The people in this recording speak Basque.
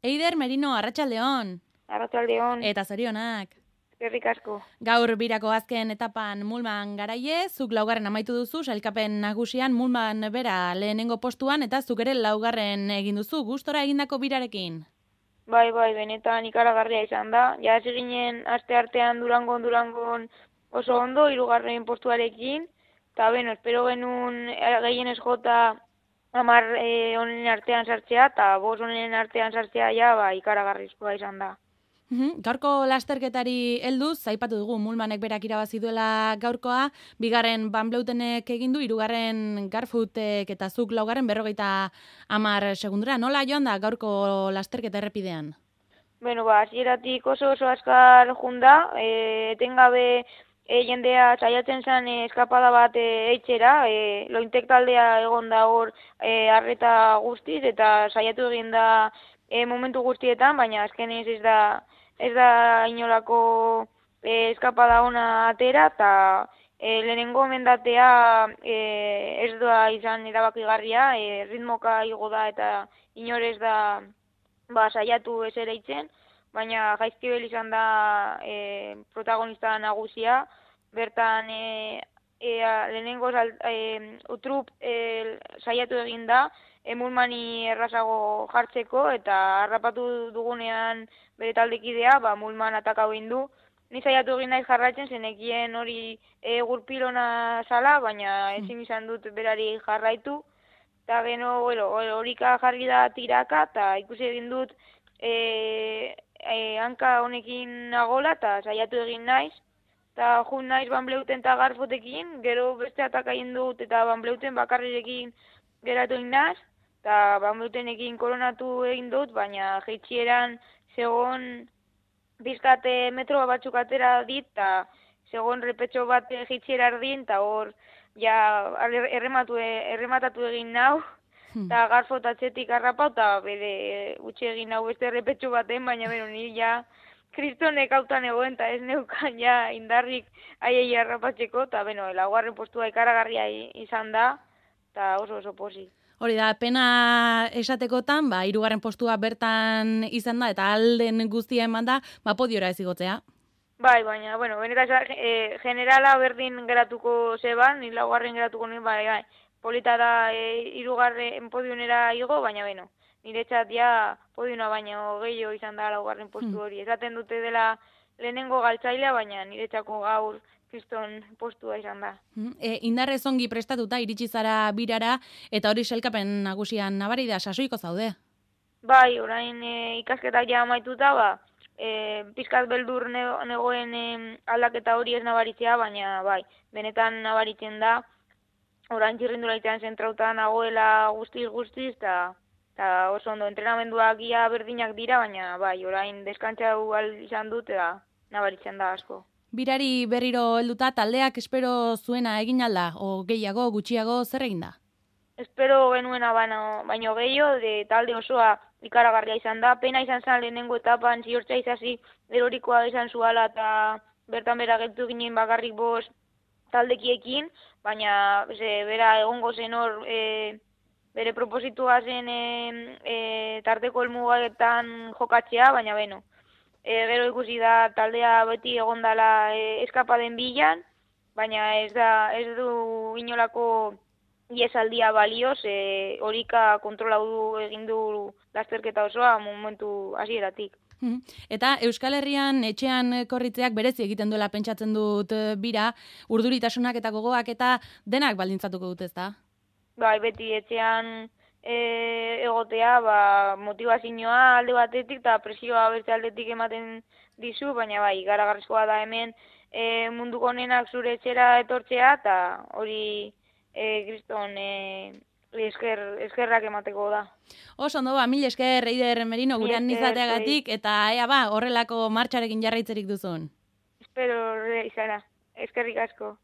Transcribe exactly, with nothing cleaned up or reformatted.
Eider Merino, arratsaldeon. Arratsaldeon. Eta zorionak. Eskerrik asko. Gaur birako azken etapan Mulman garaie, zuk laugarren amaitu duzu, sailkapen nagusian Mulman bera lehenengo postuan, eta zuk ere laugarren egin duzu, gustora egindako birarekin. Bai, bai, benetan ikaragarria izan da. Ja hasi ginen aste artean Durangon Durangon oso ondo, hirugarren postuarekin, eta beno, espero genuen gehienez jota hamar eh, honen artean sartzea, eta bost honen artean sartzea ja, ba, ikaragarrizkoa izan da. Uhum. Gaurko lasterketari helduz, aipatu dugu Mulmanek berak irabazi duela gaurkoa, bigarren Van Bleutenek egin du, hirugarren Garfutek eta zuk laugarren berrogeita hamar segundura. Nola joan da gaurko lasterketa errepidean? Bueno, ba, hasieratik oso oso azkar junda, e, etengabe e, jendea saiatzen zen e, eskapada bat e, eitxera, e, lointek taldea egon da hor e, arreta guztiz, eta saiatu egin da e, momentu guztietan, baina azkenez ez da ez da inolako e, eskapada ona atera, eta e, lehenengo mendatea e, ez da izan erabakigarria, e, ritmoka igo da eta inorez da ba, saiatu ez ere itzen, baina Jaizkibel izan da e, protagonista nagusia, bertan e, e, lehenengo e, utrup e, saiatu egin da, Mulmani errazago jartzeko, eta harrapatu dugunean bere taldekidea, ba, Mulman atakau egin du. Ni saiatu egin naiz jarraitzen, zenekien hori e, gurpilona zala, baina ezin izan dut berari jarraitu. Eta geno, bueno, horika jarri da tiraka, eta ikusi egin dut e, e, hanka honekin nagola, eta saiatu egin naiz. Eta jun naiz Van Bleuten eta Garfotekin, gero beste atakaien dut, eta Van Bleuten bakarrirekin geratu egin naiz. Eta Van Bleutenekin koronatu egin dut, baina jeitxieran segon bizkate metro batzuk atera dit, eta segon repetxo bat jeitxiera erdin, eta hor ja errematu, errematatu egin nau, eta hmm. Garfot atzetik harrapau, eta bere utxe egin nau beste repetxo baten, baina bero nire ja kristonek hautan egoen, eta ez neukan ja indarrik aiei harrapatzeko, eta beno, laugarren postua ikaragarria izan da, eta oso oso posi. Hori da, pena esatekotan, ba, hirugarren postua bertan izan da, eta alden guztia eman da, ba, podiora ez igotzea. Bai, baina, bueno, benetan e, generala berdin geratuko zeban, ni laugarren geratuko nuen, bai, bai, polita da e, hirugarren podionera igo, baina, beno, niretzat ja podiona baino gehiago izan da laugarren postu hori. Hmm. Esaten dute dela lehenengo galtzailea, baina niretzako gaur kriston postua izan da. E, indarrez ongi prestatuta iritsi zara birara, eta hori sailkapen nagusian nabari da, sasoiko zaude? Bai, orain e, ikasketak ja amaituta, ba, e, pizkat beldur negoen e, aldaketa hori ez nabaritzea, baina bai, benetan nabaritzen da, orain txirrindula itean zentrauta nagoela guztiz guztiz, eta oso ondo entrenamenduak ia berdinak dira, baina bai, orain deskantzau izan dut, eta nabaritzen da asko. Birari berriro helduta taldeak espero zuena egin alda, o gehiago, gutxiago, zer egin da? Espero genuena baino, baino gehiago, de talde osoa ikaragarria izan da. Pena izan zen lehenengo etapan, ziortza izazi erorikoa izan zuala, eta bertan bera geltu ginen bakarrik bost taldekiekin, baina ze, bera egongo zen hor e, bere propositua zen e, e, tarteko helmugaetan jokatzea, baina beno. E, gero ikusi da taldea beti egondala e, eskapaden bilan, baina ez da ez du inolako iesaldia balioz, e, horika kontrolau du egin du lasterketa osoa momentu hasieratik. Eta Euskal Herrian etxean korritzeak berezi egiten duela pentsatzen dut bira, urduritasunak eta gogoak eta denak baldintzatuko dut, ezta? Bai, beti etxean E, egotea, ba, motivazioa alde batetik eta presioa beste aldetik ematen dizu, baina bai, garagarrizkoa da hemen e, munduko honenak zure etxera etortzea, eta hori e, kriston e, esker, eskerrak emateko da. Oso ondo, ba, mil esker, Eider Merino, gurean izateagatik, eta ea ba, horrelako martxarekin jarraitzerik duzun. Espero izana, eskerrik asko.